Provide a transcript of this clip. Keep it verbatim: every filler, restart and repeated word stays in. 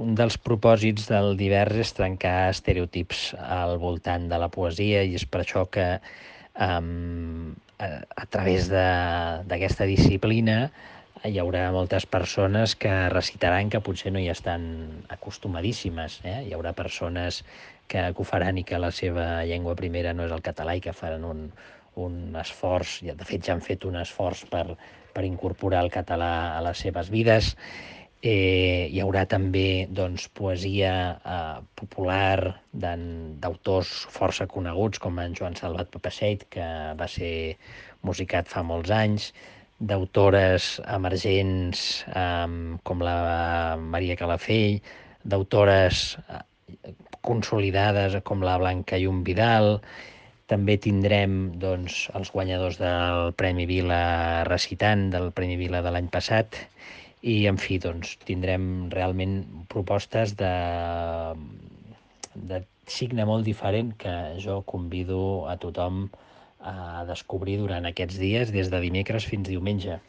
un dels propòsits del Divers és trencar estereotips al voltant de la poesia i és per això que um, a, a través d'aquesta disciplina hi haurà moltes persones que recitaran que potser no hi estan acostumadíssimes. Eh? Hi haurà persones que, que ho faran i que la seva llengua primera no és el català i que faran un, un esforç, de fet ja han fet un esforç per, per incorporar el català a les seves vides. Eh, hi haurà també doncs, poesia eh, popular d'autors força coneguts com en Joan Salvat Papasseit, que va ser musicat fa molts anys, d'autores emergents eh, com la Maria Calafell, d'autores eh, consolidades com la Blanca Llum Vidal. També tindrem doncs, els guanyadors del Premi Vila recitant, del Premi Vila de l'any passat, i, en fi, doncs, tindrem realment propostes de, de signe molt diferent que jo convido a tothom a descobrir durant aquests dies, des de dimecres fins diumenge.